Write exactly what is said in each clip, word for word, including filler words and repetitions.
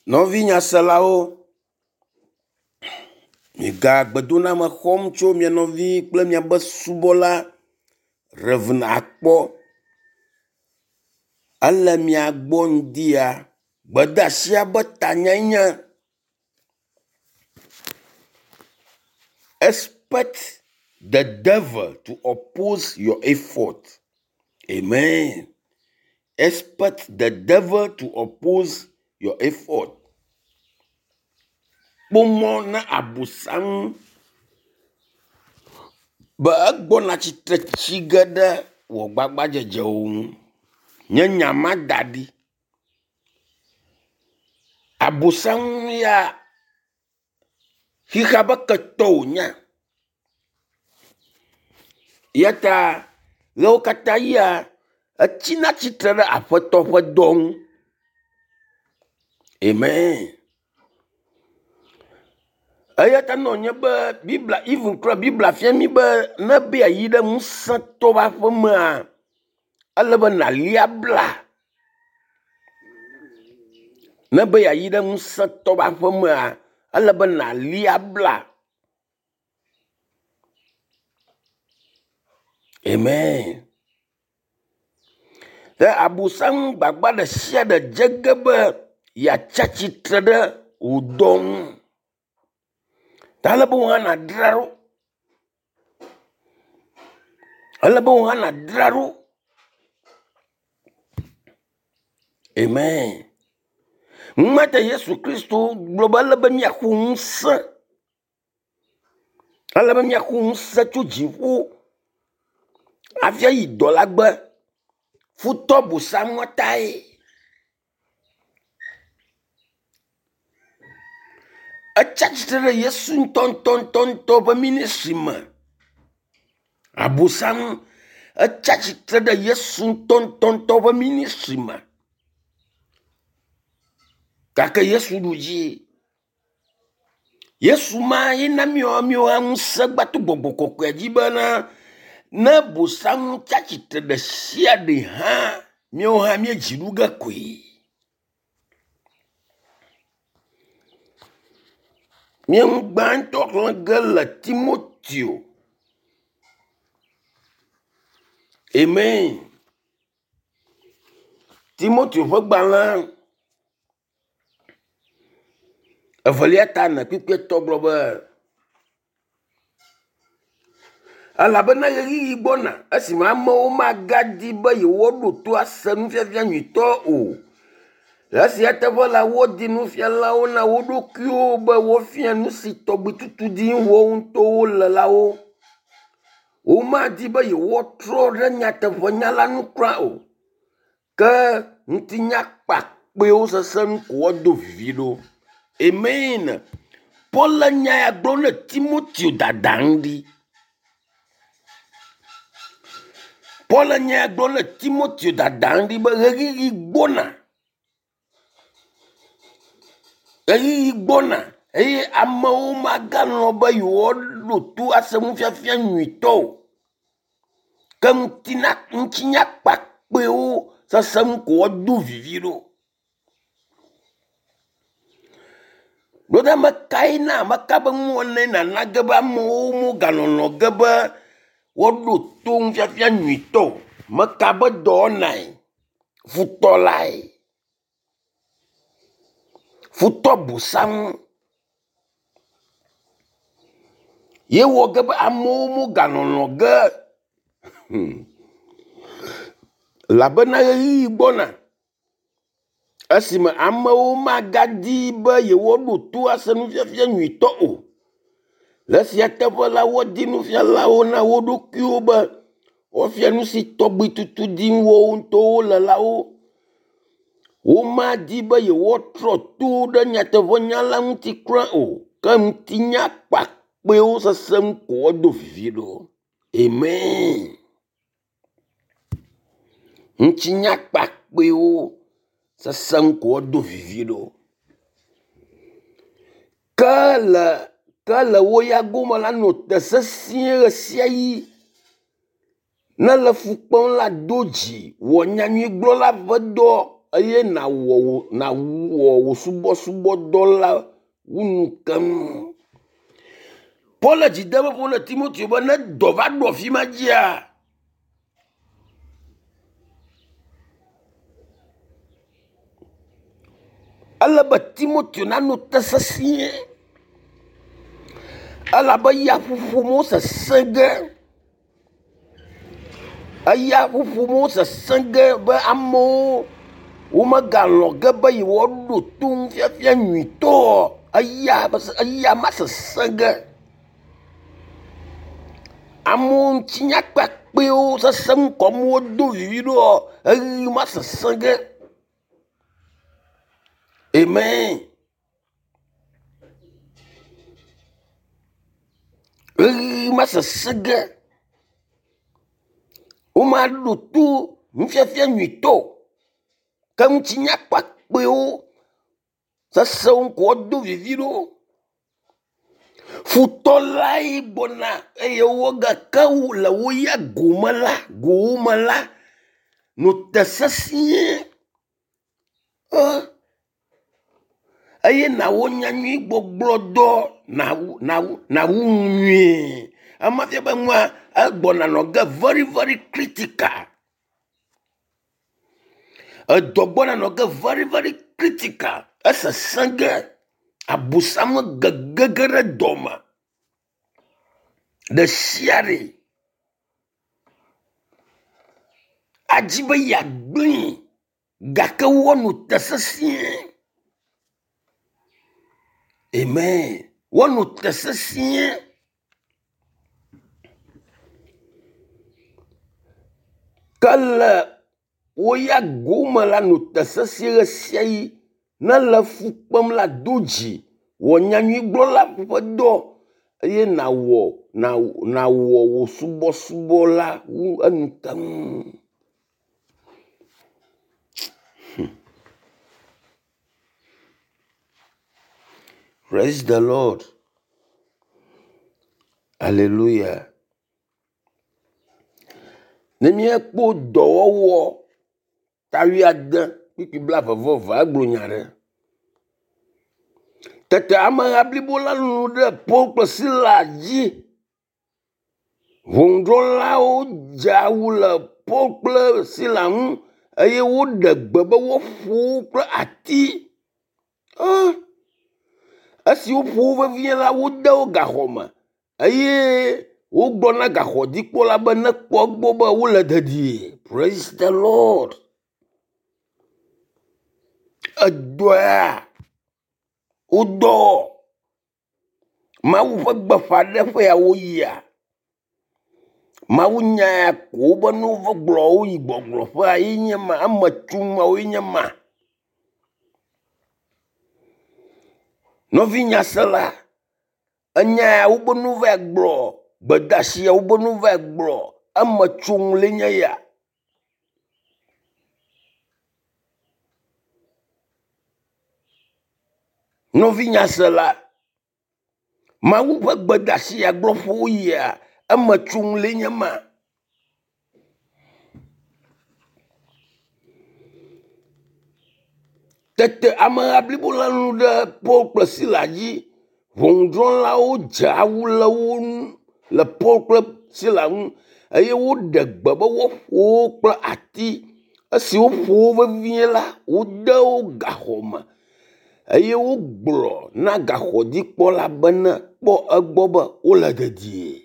Nɔvi nyaselawo, miga gbedoname xɔm tso mia nɔvi kple miabe subɔla Rev. Akpɔ. Ele mia gbɔ ŋdi ya. Gbedeasia ƒe tanyae nye expect the devil to oppose your effort. Amen. Expect the devil to oppose your effort. Kpɔ mɔ na abosam be egbɔna tsitre tsi ge ɖe wò gbagbadzedzewo ŋu. Nye nya ma da ɖi. Abosam ya xexea ƒe ketɔ wònye. Ya ta ɣewo katã ɣia etsina tsitre ɖe aƒetɔ ƒe dɔ ŋu. Amen. Eya ta ne wònye be Biblia even kura Biblia fia mí be ne be yeayi ɖe ŋusẽtɔ ƒe aƒemea, ele be nàli abla. Ne be yeayi ɖe ŋusẽtɔ ƒe aƒemea, ele be nàli abla. Amen. Ke abosam gbagba ɖe sia ɖe dze ge be yeatsi atsitre ɖe wò dɔ ŋu. Ta ele be wò hã nàdzra ɖo. Ele be wò hã nàdzra ɖo. Amen. Numate Yesu Kristo gblɔ be ele be míaxɔ ŋusẽ. Ele be míaxɔ ŋusẽ tso dziƒo hafi ayi dɔ la gbe. Futɔ bosam tae. Etsi atsitre ɖe Yesu ŋutɔŋutɔŋutɔ ƒe ministry me. Abosam etsi atsitre ɖe Yesu ŋutɔŋutɔŋutɔ ƒe ministry me. Gake Yesu ɖu dzi. Yesu ma ye na míawo míawo hã ŋusẽ gbato gbɔgbɔ kɔkɔea dzi bena ne bosam tsi atsitre ɖe sia ɖe hã míawo hã míedzi ɖu ge koe. Mía ŋu gbãtɔ xlẽ ge le Timoteo. Amen. Timoteo ƒe gbalẽ evelia ta ene kpukpui etɔ̃ gblɔ be elabena ɣeyiɣi gbɔna esime amewo magadi be yewoaɖo to ase nufiafia nyuitɔ o. Le esia teƒe la, woadi nufialawo na wo ɖokuiwo be woafia nu si tɔgbi tutu dim woawo ŋutɔwo le la wo. Womadi be yewoatrɔ ɖe nyateƒenya la ŋu kura o. Ke ŋutinya kpakpɛwo sese nu ko woado vivi ɖo. Amen. Paul le nya ya gblɔm ne Timoteo dada ŋu ɖi. Paul le nya ya gblɔm ne Timoteo dada ŋu ɖi be ɣeyiɣi gbɔna. Ɣeyiɣi gbɔna eye amewo magalɔ̃ be yewoaɖo to ase nufiafia nyuitɔ o. Ke ŋutina ŋutinya kpakpɛwo sese ŋu ko woado vivi ɖo. Ɖo ɖe ame kae na ame ka be nuwɔnae nana ge be amewo mogalɔlɔ̃ ge be woaɖo to nufiafia nyuitɔ o. Meka be dɔwɔnae, futɔ lae. Futɔ bosam ye wɔ ge be amewo mogalɔlɔ̃ ge hmm. Elabena ɣeyiɣi gbɔna esime amewo magadi be yewoaɖo to ase nufiafia nyuitɔ o. Le esia teƒe la, woadi nufialawo na wo ɖokuiwo be woafia nu si tɔgbi tutu dim woawo ŋutɔwo le la wo. Womadi be yewoatrɔ to ɖe nyateƒenya la ŋuti kura o. Ke ŋutinya kpakpɛwo sese ŋu ko woado vivi ɖo. Amen. Ŋutinya kpakpɛwo sese ŋu ko woado vivi ɖo. Ke le ke le wo ya gome la nɔ te sesĩe ɣe sia ɣi. Ne le fu kpem la do dzi wɔ nyanyuigblɔla ƒe dɔ eye nawɔ wò nawɔ wò subɔsubɔdɔ la wu nu keŋ. Paul le dzi dem ƒo na Timoteo be ne dɔ va ɖo afi ma dzia, ele be Timoteo nanɔ te sesĩe elabe yaƒoƒo me sesẽ ge. Eya ƒoƒo me sesẽ ge be amewo womegalɔ̃ ge be yewoaɖo to nufiafia nyuitɔ. Eya eya ma sesẽ ge. Amewo ŋutinya kpakpɛwo sesem kɔm wodo vivi ɖoa, eʋe ma sesẽ ge. Amen. Ʋeyiʋi ma sesẽ ge. Womaɖo to nufiafia nyuitɔ o. Ke ŋutinya kpakpɛwo sesewo ko woado vivi ɖo. Futɔ lae gbɔna eye wogake wo le wo ya gome la, gowòme la, nɔ te sesĩe. E eye nawɔ nyanyuigbɔgblɔdɔ nawu nawu nawu nu nyuie. Ema fia be nua egbɔna nɔ ge very very critical. Edɔ gbɔna nɔ ge very very critical. Esesẽ ge. Abosam gegege ɖe dɔme ɖe sia ɖe. Adzi be yeagblẽe gake woanɔ te sesĩe. Amen. Woanɔ te sesĩe. Ke le wo ya gome la nɔ te sesĩe ɣe sia ɣi. Ne le fu kpem la, do dzi. Wɔ nyanyuigblɔla ƒe dɔ eye nawɔ nawɔ wò subɔsubɔ la wu enu keŋ. Hmm. Praise the Lord. Hallelujah. Ne míekpɔ dɔwɔwɔ ta wuiade kpukpui blaeve vɔ eve egblɔ nya ɖe. Tete ameha blibo la lũ ɖe Paul kple Sila dzi. Ʋɔnudrɔ̃lawo dze awu le Paul kple Sila ŋu eye woɖe gbe be woaƒo wo kple ati. Ah! Esi woƒo wo vevie la, wode wo gaxɔ me eye wogblɔ na gaxɔdzikpɔla be nekpɔ egbɔ be wole dedie. Praise the Lord. Edɔa wodɔ Mawu ƒe gbeƒãɖeƒe ya woyia. Mawu nya ya ko wobe ne wova gblɔ woyi gbɔgblɔƒea ye nye ma eme tsom woe nye ma. Nɔvi nyasela, enya ya wobe ne wova gblɔ gbedeasi ya wobe ne wova gblɔ eme tsom le nye ya. Nɔvi nyasela, Mawu ƒe gbedeasi ya gblɔƒe woyia eme tsom le nye ma. Tete ameha blibo la lũ ɖe Paul kple Sila dzi. Ʋɔnudrɔ̃lawo dze awu le wo ŋu le Paul kple Sila ŋu eye woɖe gbe be woaƒo wo kple ati. Esi woƒo wo vevie la, wode wo gaxɔ me eye wogblɔ na gaxɔdzikpɔla be ne kpɔ egbɔ be wole dedie.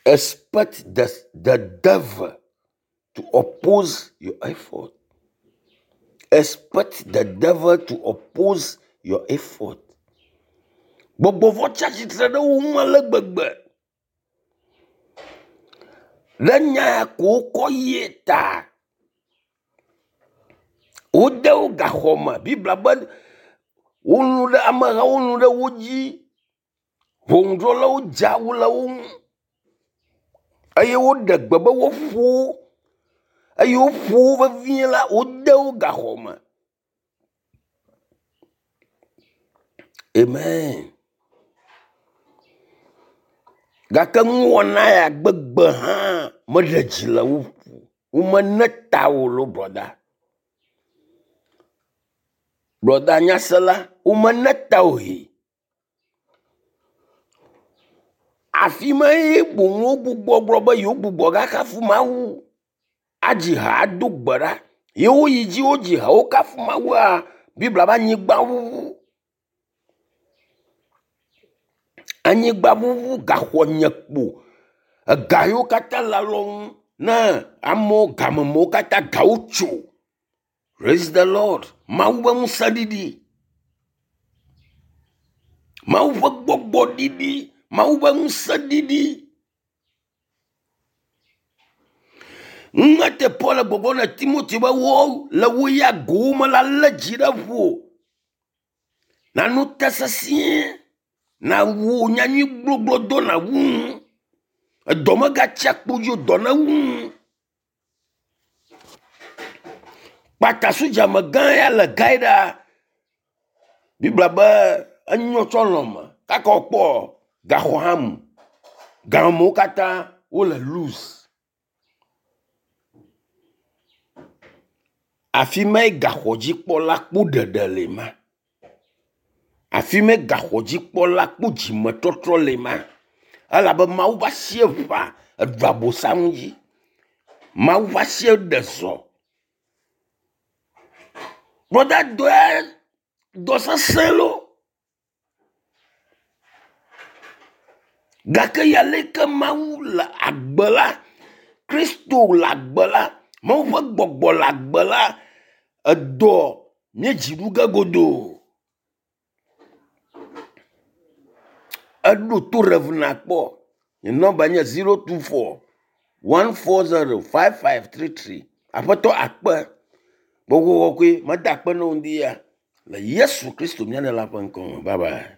Expect the, the devil to oppose your effort. Expect the devil to oppose your effort. Gbɔgbɔ vɔ̃ tsi atsitre ɖe wo ŋu ale gbegbe. Ɖe nya ya ko wokɔ yie ta. Wode wo gaxɔ me. Biblia be wolũ ɖe amehawo lũ ɖe wo dzi. Ʋɔnudrɔ̃lawo dze awu le wo ŋu eye woɖe gbe be woaƒo wo eye woƒo wo vevie la, wode wo gaxɔ me. Amen. Gake nuwɔna ya gbegbe hã meɖe dzi le wo ƒo. Womene ta o lo brɔda. Brɔda nyasela, womene ta o he. Afi ma ye boŋ wogbugbɔ gblɔ be yewogbugbɔ gakafu Mawu, adzi ha ado gbe ɖa. Ye woyi dzi wodzi ha wokafu Mawua, Biblia be anyigba ŋuŋu. Anyigba ŋuŋu gaxɔ nye kpo. Ega yiwo katã le alɔnu ne amewo gamemewo katã gawo tso. Praise the Lord. Mawu ƒe ŋusẽ ɖiɖi. Mawu ƒe gbɔgbɔ ɖiɖi. Mawu ƒe ŋusẽ ɖiɖi. Ŋumete Paul le gbɔgblɔm na Timothy be wo le wo ya gowo me la lé dzi ɖe ƒo. Nano te sesĩe. Na wu nyanyui gbogbo do na wu nu. Edɔ megatsi akpo dzi o, dɔ newu nu. Kpata sodzamegã ya le gae ɖa. Biblia be enyɔ tsɔ lɔme kaka wòkpɔ gaxɔ hã mu. Gamewo katã wole loose. Afi mae gaxɔdzikpɔla kpɔ ɖeɖe le ma. Afi mae gaxɔdzikpɔla kpɔ dzimetɔtrɔ le ma. Elabe Mawu ƒe asie ʋã eɖu abosam dzi. Mawu ƒe asie ɖe zɔ. Brɔda dɔe dɔ sesẽ lo. Gake ya leke Mawu le agbe la, Kristo le agbe la, Mawu ƒe gbɔgbɔ le agbe la, edɔ míedzi ɖu ge godoo. Eɖo to Rev nakpɔ. Nye nɔmba nye zero two four one four zero five five three three. Aƒetɔ akpe. Gbɔgbɔ kɔkɔe meda akpe na wo ŋdi ya le Yesu Kristo mía Ɖela ƒe ŋkɔ me. Bye bye.